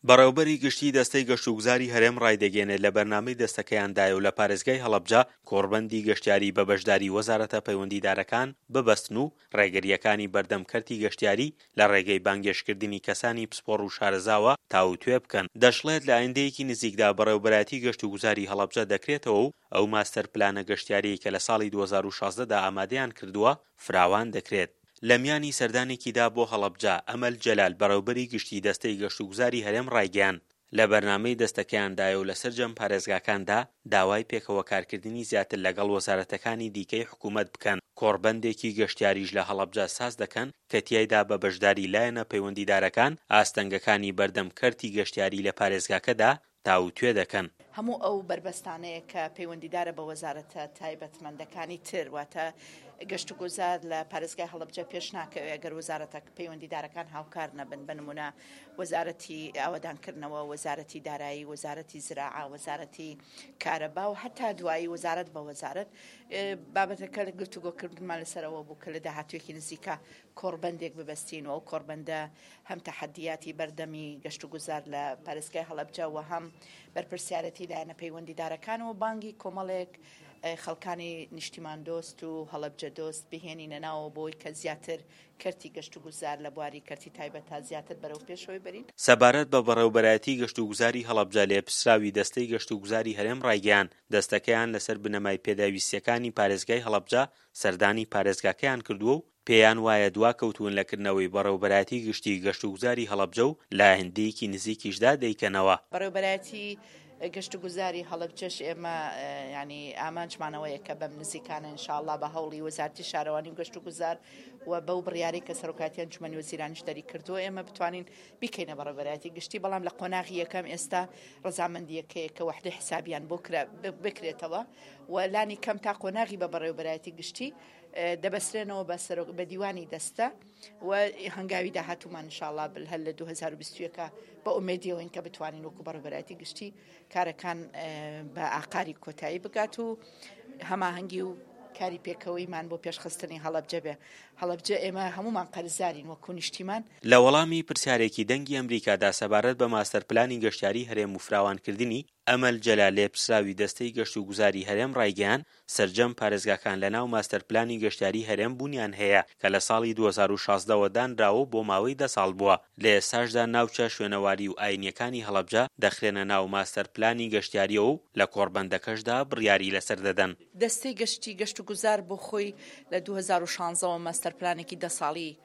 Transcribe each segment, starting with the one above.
بەڕێوەبەری گشتیی دەستەی گەشتوگوزاری هەرێم ڕایدەگەیەنێت، لە بەرنامەی دەستەکەیاندایە و لە پارێزگای هەڵەبجە کۆڕبەندی گەشتیاری بە بەشداری وەزارەتە پەیوەندیدارەکان ببەستن و ڕێگرییەکانی بەردەم کەرتی گەشتیاری لە ڕێگەی بانگێشتکردنی کەسانی پسپۆڕ و شارەزاوە تاووتوێ بکەن. دەشڵێت، لە ئایندەیەکی نزیکدا بەڕێوەبەرایەتی گەشتوگوزاری هەڵەبجە دەکرێتەوە و ئەو ماستەر پلانە گەشتیارییەی کە لە ساڵی 2016 دا ئامادەیان کردووە فراوان دەکرێت. لە میانی سەردانێکیدا بۆ هەڵەبجە، ئەمەل جەلال، بەڕێوبەری گشتیی دەستەی گەشتوگوزاری هەرێم ڕایگەیاند، لە بەرنامەی دەستەکەیاندایە و لە سەرجەم پارێزگاکاندا داوای پێکەوە کارکردنی زیاتر لەگەڵ وەزارەتەکانی دیکەی حکوومەت بکەن، کۆڕبەندێکی گەشتیاریش لە هەڵەبجە ساز دەکەن کە تیایدا بە بەشداری لایەنە پەیوەندیدارەکان ئاستەنگەکانی بەردەم کەرتی گەشتیاری لە پارێزگاکەدا تاووتوێ دەکەن. هەموو ئەو بەربەستانەیە کە پەیوەندیدارە بە وەزارەتە تایبەتمەندەکانی تر، واتە گەشتوگوزار لە پارێزگای هەڵەبجە پێش ناکەوێت گەر وەزارەتە پەیوەندیدارەکان هاوکار نەبن، بە نموونە وەزارەتی ئاوەدانکردنەوە، وەزارەتی دارایی، وەزارەتی زراعە، وەزارەتی کارەبا و هەتا دوایی وەزارەت بە وەزارەت. بابەتەکە لە گفتوگۆکردنمان لەسەر ئەوە بوو کە لە داهاتوویەکی نزیکە کۆڕبەندێک ببەستین و ئەو کۆڕبەندە هەم تەحەدیاتی بەردەمی گەشتوگوزار لە پارێزگای هەڵەبجە و هەم بەرپرسیارەتی لایەنە پەیوەندیدارەکان و بانگی کۆمەڵێک خەڵکانی نیشتیماندۆست و هەڵەبجە دۆست بهێنینە ناوەوە بۆی کە زیاتر کەرتی گەشتوگوزار لە بواری کەرتی تایبەت تا زیاتر بەرەو پێشەوەی بەرین. سەبارەت بە بەڕێوەبەرایەتی گەشتوگوزاری هەڵەبجە لێپرسراوی دەستەی گەشتوگوزاری هەرێم ڕایگەیاند، دەستەکەیان لەسەر بنەمای پێداویستییەکانی پارێزگای هەڵەبجە سەردانی پارێزگاکەیان کردووە و پێیان وایە دواکەوتوون لە کردنەوەی بەڕێوەبەرایەتی گشتی گەشتوگوزاری هەڵەبجە و لە ئایندەیەکی نزیکیشدا دەیکەنەوە. بەڕێوەبەرایەتی گەشتوگوزاری هەڵەبجەش ئێمە یانی ئامانجمان ئەوەیە کە بەم نزیکانە ان شاء اللە بە هەوڵی وەزارەتی شارەوانی و گەشتوگوزار و بەو بڕیارەی کە سەرۆکایەتی ئەنجومەنی وەزیرانیش دەریکردووە ئێمە بتوانین بیکەینە بەڕێوەبەرایەتی گشتی، بەڵام لە قۆناغی یەکەم ئێستا ڕەزامەندییەکەیە کە وەحدەی حسابیان بۆ بکرێتەوە و لانی کەم تا قۆناغی بە بەڕێوەبەرایەتی گشتی دەبەسرێنەوە بە سەرۆک بە دیوانی دەستە و هەنگاوی داهاتوومان انشاءاللە بل هەر لە 2021 بە ئومێدیەوەین کە بتوانین وەکو بەڕێوەبەرایەتی گشتی کارەکان بە ئاقاری کۆتایی بگات و هەماهەنگی و کاری پێکەوەیمان بۆ پێشخستنی هەڵەبجە بێ. هەڵەبجە ئێمە هەموومان قەرزارین وەکو نیشتیمان. لە وەڵامی پرسیارێکی دەنگی ئەمریکادا سەبارەت بە ماستەرپلانی گەشتیاری هەرێم و فراوانکردنی، ئەمەل جەلال لێپرسراوی دەستەی گەشتوگوزاری هەرێم ڕایگەیاند، سەرجەم پارێزگاکان لەناو ماستەرپلانی گەشتیاری هەرێم بوونیان هەیە کە لە ساڵی 2016 وە دانراوە و بۆ ماوەی دە ساڵ بووە، لە ئێستاشدا ناوچە شوێنەواری و ئاینییەکانی هەڵەبجە دەخرێنە ناو ماستەرپلانی گەشتیارییەوە و لە کۆڕبەندەکەشدا بڕیاری لەسەر دەدەن. دەستەی گەشتی گەشتوگوزار بۆ خۆی لە 2016 وە ماستەرپلانێکی دە ساڵی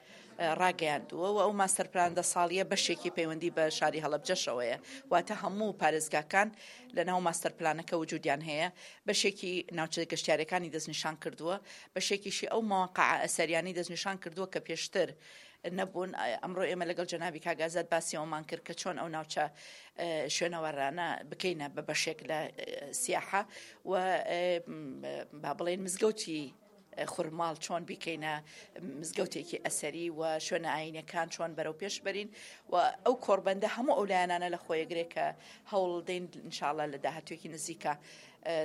ڕاگەیاندووە و ئەو ماستەرپلان دە ساڵییە بەشێکی پەیوەندی بە شاری هەڵەبجەشەوەیە، واتە هەموو پارێزگاکان لەناو ماستەرپلانەکە وجودیان هەیە، بەشێکی ناوچە گەشتیاریەکانی دەستنیشان کردووە، بەشێکیشی ئەو مەواقعە ئەسەریانەی دەستنیشان کردووە کە پێشتر نەبوون، ئەمڕۆ ئێمە لەگەڵ جەنابی کاک ئازاد باسی ئەوەمان کرد کە چۆن ئەو ناوچە شوێنەوارانە بکەینە بە بەشێک لە سیاحە و با بڵێین مزگەوتی خورماڵ چۆن بیکەینە مزگەوتێکی ئەسەری و شوێنە ئاینەکان چۆن بەرەو پێش بەرین و ئەو کۆڕبەندە هەموو ئەو لایەنانە لە خۆیەگرێ کە هەوڵ دەین انشاءاللە لە داهاتوێکی نزیکە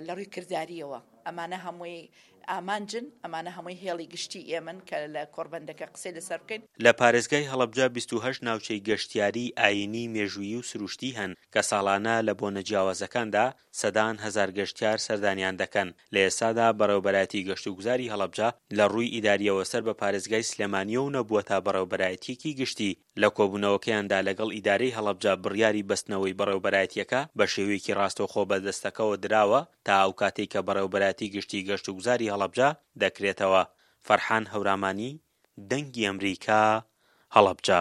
لە ڕووی کرداریەوە ئەمانە هەمووی ئامانجن ئەمانە هەمووی هێڵی گشتی ئێمن کە لە کۆڕبەندەکە قسەی لەسەر بکەین. لە پارێزگای هەڵەبجە 28 ناوچەی گەشتیاریی ئایینی، مێژوویی و سروشتی هەن کە ساڵانە لە بۆنە جیاوازەکاندا سەدان هەزار گەشتیار سەردانیان دەکەن، لە ئێستادا بەڕێوەبەرایەتی گەشتوگوزاری هەڵەبجە لە ڕووی ئیدارییەوە سەر بە پارێزگای سلێمانییە و نەبووەتە بەڕێوەبەرایەتییەکی گشتی، لە کۆبوونەوەکەیاندا لەگەڵ ئیدارەی هەڵەبجە بڕیاری بەستنەوەی بەڕێوەبەرایەتییەکە بە شێوەیەکی ڕاستەوخۆ بە دەستەکەوە دراوە تا ئەو کاتەی کە بەڕێوەبەرایەتی گشتی گەشتوگوزاری هەڵەبجە دەکرێتەوە. فەرحان هەورامانی، دەنگی ئەمریکا، هەڵەبجە.